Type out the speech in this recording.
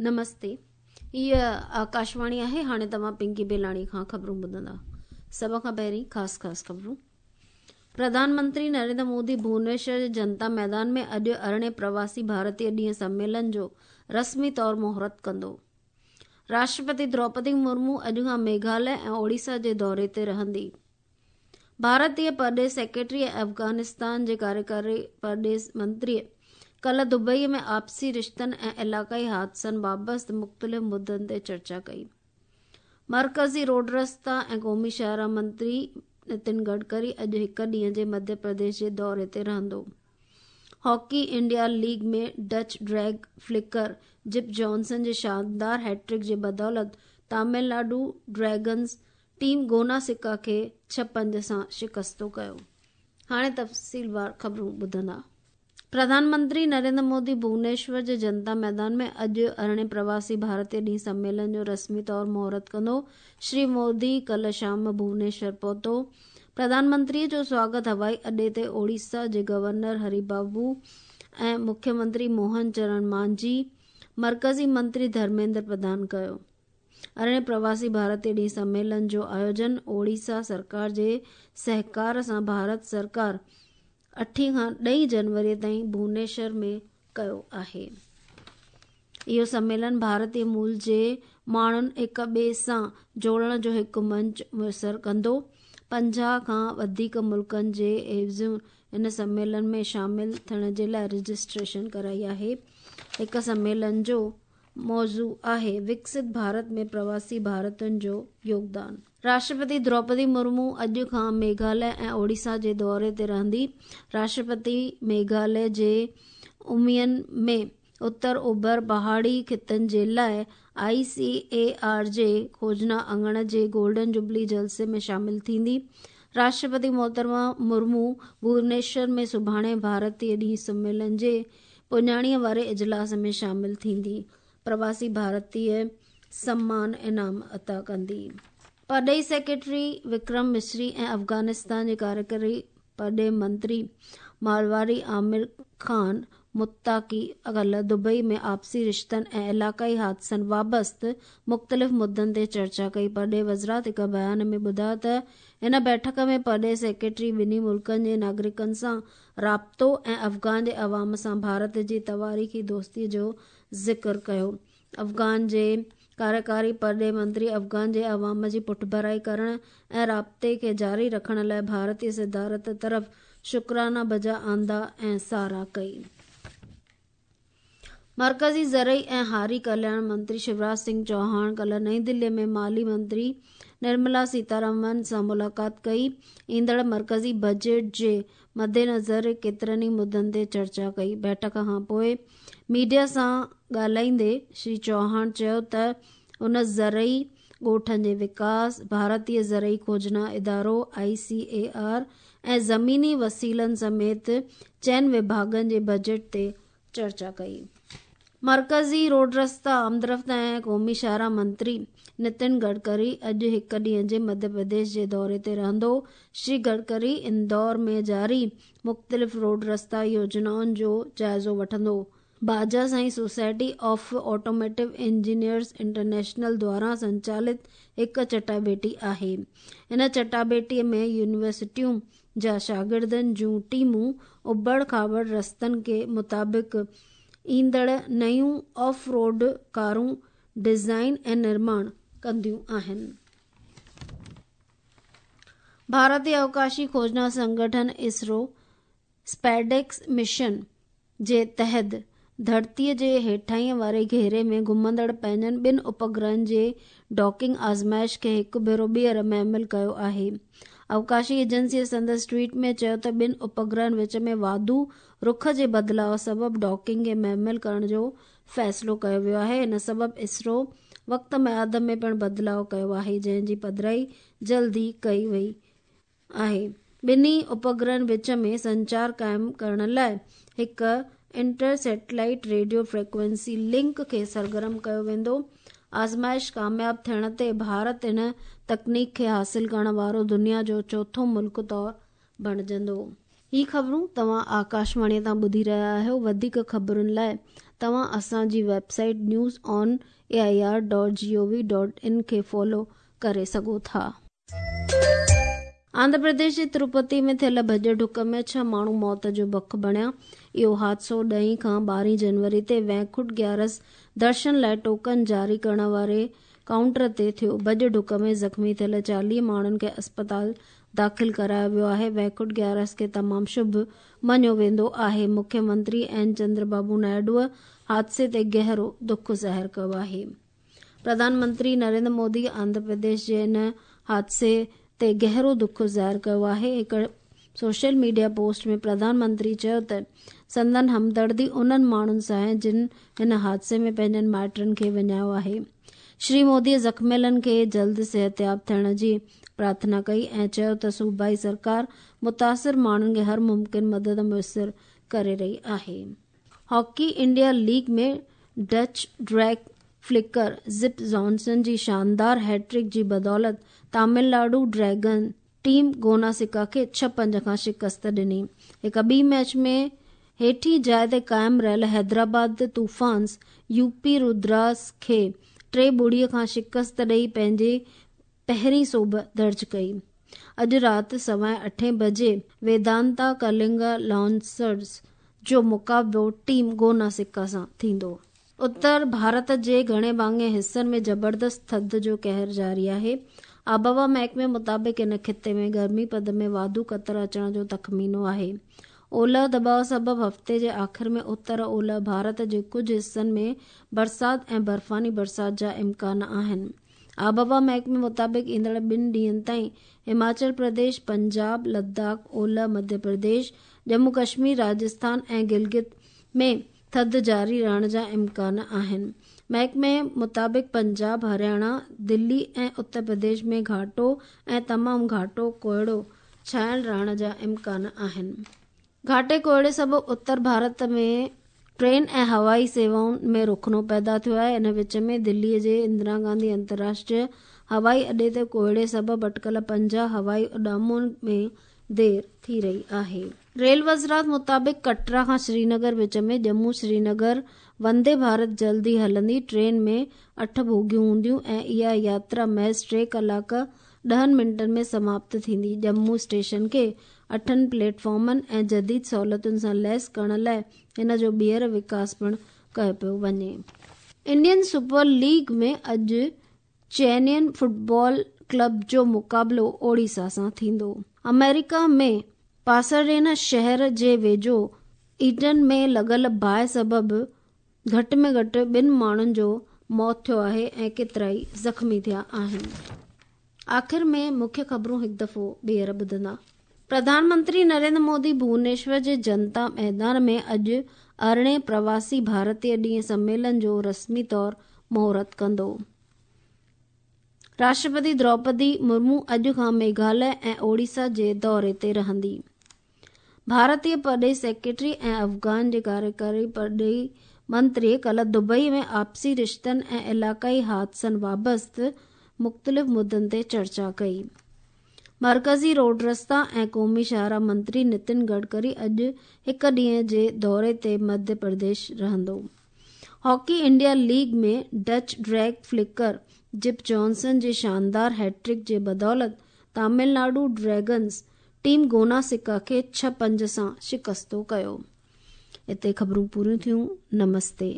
نمستي هيء آڪاشواڻي آهي هاڻي توهان پنڪي بيلاڻي کان خبرون ٻڌندا سڀ کان پهرين خاص خاص خبرون پرڌان منتري نريندر مودي ڀونيشور جي جنتا ميدان ۾ اڄ ارڙهين پرواسي ڀارتي ڏينهن سميلن جو رسمي طور مهورت ڪندو راشٽرپتي دروپدي مرمو اڄ کان ميگهاليه ۽ اوڙيسا جي دوري تي رهندي ڀارتي پرڏيهه سيڪريٽري ۽ افغانستان جي ڪاريڪاري پرڏيهه منتري ڪلهه دبئي ۾ آپسي رشتن ۽ علائقائي حادثن بابت مختلف مدن تي چرچا ڪئي. مرڪزي روڊ رستا ۽ قومي شاهراهه منتري نتن گڊڪري اڄ هڪ ڏينهن جي مڌيه پرديش جي دوري تي رهندو. Hockey India league ۾ Dutch drag flicker Jip Jansen جي شاندار هيٽرڪ جي بدولت تامل ناڊو ڊريگنز ٽيم گونا سڪا کي 6-5 سان شڪستو ڪيو. هاڻي تفصيلوار خبرون ٻڌندا. پرڌان منتري نريندر مودي ڀونيشور جي جنتا ميدان ۾ اڄ ارڙهين پرواسي ڀارتي ڏينهن سميلن جو رسمي طور مهورت ڪندو. شري مودي ڪلهه شام ڀونيشور پهتو. پرڌان منتري جو سواگت هوائي اڏي تي اوڙيسا جي گورنر هري بابو ۽ مکيه منتري موهن چرڻ مانجهي، مرڪزي منتري ڌرميندر پرڌان ڪيو. ارڙهين پرواسي ڀارتي ڏينهن سميلن جو آيوجن اوڙيسا سرڪار جي سهڪار سان ڀارت سرڪار اٺين کان ڏهين جنوري تائين ڀونيشور ۾ ڪيو آهي. اهو سميلن ڀارتي مول جي ماڻهن هڪ ٻئي سان جوڙڻ جو هڪ منچ ميسر ڪندو. 50 کان وڌيڪ ملڪن جي عيوضين هن سميلن ۾ شامل ٿيڻ جي لاء رجسٽريشن ڪرائي آهي. هڪ سميلن جو موضوع آهي وڪست ڀارت ۾ پرواسي ڀارتين جو يوگدان. راشٽرپتي دروپدي مرمو اڄ کان ميگهاليه ۽ اوڙيسا جي دوري تي رهندي. راشٽرپتي ميگهاليه جي امين ۾ اتر اوڀر پهاڙي خطن جي لاء آء سي اي آر جي کوجنا اڱڻ جي گولڊن جوبلي جلسي ۾ شامل ٿيندي. راشٽرپتي محترمه مرمو ڀونيشور ۾ سڀاڻي ڀارتي ڏينهن سميلن جي پڄاڻيء واري اجلاس ۾ شامل ٿيندي پرواسي ڀارتيه سمان انعام عطا ڪندي. پرڏيهي سيڪريٽري وڪرم مصري ۽ افغانستان جي ڪاريڪري پرڏيهه منتري مالواري عامر خان متقي ڪلهه دبئي ۾ آپسي رشتن ۽ علائقائي حادثن وابست مختلف مدن تي چرچا ڪئي. پرڏيهي وزارت هڪ بيان ۾ ٻڌايو ته هن بيٺڪ ۾ پرڏيهي سيڪريٽري ٻنهي ملڪن جي ناگرڪن سان رابطو ۽ افغان جي عوام سان ڀارت جي تواريخي دوستي جو ذڪر ڪيو. افغان جي ڪاريڪاري پرڏيهي منتري افغان جي عوام جي پٺڀرائي ڪرڻ ۽ رابطي کي جاري رکڻ لاء ڀارتي صدارت طرف شڪرانا بجا آندا ۽ ساراهه ڪئي. مرڪزي زرعي ۽ هاري ڪلياڻ منتري شيوراج سنگهه چوهاڻ ڪلهه نئين دلي ۾ مالي منتري نرملا سيتارامن سان ملاقات ڪئي، ايندڙ مرڪزي بجيٽ جي مدنظر ڪيترن ئي مدن تي چرچا ڪئي. بيٺڪ کان پوء ميڊيا سان ڳالهائيندي شري چوهاڻ چيو ته هن زرعي ڳوٺن جي وڪاس، ڀارتي زرعي کوجنا ادارو، آء سي اي آر، ۽ زميني وسيلن سميت چئن وڀاڳن جي بجيٽ تي چرچا ڪئي. مرڪزي روڊ رستا، آمدرفت ۽ قومي شاهراهه منتري نتن گڊڪري اڄ هڪ ڏينهن جي مڌيه پرديش جي دوري تي رهندو. شري گڊڪري اندور ۾ جاري مختلف روڊ رستا يوجنائن جو جائزو وٺندو. Baja Sai society of automotive engineers international دواران سنچالت هڪ چٽاڀيٽي آهي. ان چٽاڀيٽي ۾ يونيورسٽيون جا شاگردن جون ٽيمون ابڙ کاٻڙ رستن کي مطابق ايندڙ نيون آف روڊ ڪارون ڊزائين ۽ نرماڻ ڪنديون آهن. ڀارتي اوڪاشي کوجنا سنگٺن اسرو اسپيڊيڪس مشن جي تحت ڌرتيء جي هيٺاهينء واري گهيري ۾ گهمندڙ پنهنجن ٻن اپگرهن جي ڊاڪنگ آزمائش کي هڪ ڀيرو ٻيهر مهمل ڪيو آهي. اوڪاشي ايجنسيء سندس ٽوئيٽ ۾ چيو ته ٻن اپگرهن وچ ۾ واڌو رخ جي بدلاء سبب ڊاڪنگ کي مهمل ڪرڻ جو فيصلو ڪيو ويو آهي، ان سبب اسرو وقت ميعاد ۾ پڻ بدلاء ڪيو آهي، جنهن جي پڌرائي جلد ئي ڪئي وئي. آهي. ٻنهي اپگرهن وچ ۾ سنچار قائم ڪرڻ لاء هڪ inter satellite radio frequency link کي سرگرم ڪيو ويندو. آزمائش ڪامياب ٿيڻ تي ڀارت ان تڪنيڪ کي حاصل ڪرڻ وارو دنيا جو چوٿون ملڪ طور بڻجندو. هي خبرون توهان آڪاشواڻي تان ٻڌي رهيا آهيو. وڌيڪ خبرن لاء توهان اسان جي website news on A I R dot G O V dot in کي فالو ڪري سگهو ٿا. آنڌرا پرديش جي تروپتي ۾ ٿيل ڀڄ ڊڪ ۾ ڇهه ماڻهو موت جو بک بڻيا. اهو حادثو ڏهين کان ٻارهين جنوري تي وينڪٽ گيارس درشن لاء ٽوڪن جاري ڪرڻ واري ڪائونٽر تي ٿيو. ڀڄ ڊڪ ۾ زخمي ٿيل 40 ماڻهن کي اسپتال داخل ڪرايو ويو آهي. وينڪٽ گيارس کي تمام شڀ مڃيو ويندو آهي. مکيه منتري اين چندر بابو نائيڊوء حادثي تي گهرو دک ظاهر ڪيو آهي. پرڌان منتري نريندر مودي آنڌرا پرديش جي ان حادثي تي گهرو دک ظاهر ڪيو آهي. هڪ social media post ۾ Pradhan Mantri چيو ته سندن همدردي انهن ماڻهن سان آهي جن هن حادثي ۾ پنهنجن مائٽن کي وڃايو آهي. شري مودي زخميلن کي جلد صحتياب ٿيڻ جي پرارٿنا ڪئي ۽ چيو ته صوبائي سرڪار متاثر ماڻهن کي هر ممڪن مدد ميسر ڪري رهي آهي. Hockey India league ۾ Dutch drag flicker Jip Jansen جي شاندار هيٽرڪ جي بدولت تامل ناڊو ڊريگن ٽيم گوناسڪا کي 6-5 کان شڪست ڏني. هڪ ٻي ميچ ۾ هيٺين جاء تي قائم رهيل حيدرآباد طوفانز يو پي رودراس کي 3-0 کان شڪست ڏئي پنهنجي پهرين سوڀ درج ڪئي. اڄ رات 8:15 بجي ويدانتا ڪلنگا لانسرز جو مقابلو ٽيم گوناسڪا سان ٿيندو. اتر ڀارت جي گهڻي ڀاڱي حصن ۾ زبردست ٿڌ جو قهر جاري آهي. آبهوا محڪمي مطابق ان خطي ۾ گرمي پد ۾ واڌو ڪتر اچڻ جو تخمينو آهي. اولهه دٻاء سبب هفتي جي آخر ۾ اتر اولهه ڀارت جي ڪجهه حصن ۾ برسات ۽ برفاني برسات جا امڪان آهن. آبهوا محڪمي مطابق ايندڙ ٻن ڏينهن تائين هماچل پرديش، پنجاب، لداخ، اولهه مڌيه پرديش، ڄمون ڪشمير، راجسٿان ۽ گلگت ۾ ٿڌ جاري رهڻ جا امڪان آهن. محڪمي مطابق پنجاب، هرياڻا، دلي ۽ اتر پرديش ۾ گهاٽو ۽ تمام گهاٽو ڪوهيڙو ڇانيل رهڻ جا امڪان آهن. گهاٽي ڪوهيڙي سبب اتر ڀارت ۾ ٽرين ۽ هوائي سيوائن ۾ رخنو پيدا ٿيو آهي. ان وچ ۾ دلي جي اندرا گانڌي انترراشٽريه هوائي اڏي تي ڪوهيڙي سبب اٽڪل 50 هوائي اڏامن ۾ دير ٿي رهي آهي. ريل وزارت مطابق ڪٽرا کان سرينگر وچ ۾ ڄمون سرينگر وندي ڀارت جلد ئي هلندي. ٽرين ۾ 8 بوگيون هونديون ۽ اها ياترا محض 3 ڪلاڪ 10 منٽن ۾ سماپت ٿيندي. ڄمون اسٽيشن کي 8 پليٽ فارمن ۽ جديد سهولتن سان ليس ڪرڻ لاء هن جو ٻيهر وڪاس پڻ ڪيو پيو وڃي. انڊين سپر ليگ ۾ اڄ چينين فٽبال ڪلب جو مقابلو اوڙيسا سان ٿيندو. آمريڪا ۾ پاساڊينا شهر جي ويجهو ايٽن ۾ لڳل باهه سبب گهٽ ۾ گهٽ 2 ماڻهن جو موت ٿيو آهي ۽ ڪيترائي زخمي ٿيا آهن. آخر ۾ مکيه خبرون هڪ دفعو ٻيهر ٻڌندا. پرڌان منتري نريندر مودي ڀونيشور جي جنتا ميدان ۾ اڄ 18 پرواسي ڀارتيه ڏينهن سميلن جو رسمي طور مهورت ڪندو. راشٽرپتي دروپدي مرمو اڄ کان ميگهاليه ۽ اوڙيسا جي دوري تي رهندي. ڀارتي پرڏيهي سيڪريٽري ۽ افغان جي ڪاريڪاري پرڏيهي منتري ڪالهه دبئي ۾ آپسي رشتن ۽ علائقائي حادثن وابسته مختلف مدن تي چرچا ڪئي. مرڪزي روڊ رستا ۽ قومي شاهراهه منتري نتن گڊڪري اڄ هڪ ڏينهن جي دوري تي مڌيه پرديش رهندو. Hockey India league ۾ Dutch drag flicker Jip Jansen جي شاندار هيٽرڪ جي بدولت تامل ناڊو ڊريگنز ٽيم گوناسڪا کي 6-5 سان شڪستو ڪيو. اتي خبرون پوريون ٿيون. نمستي.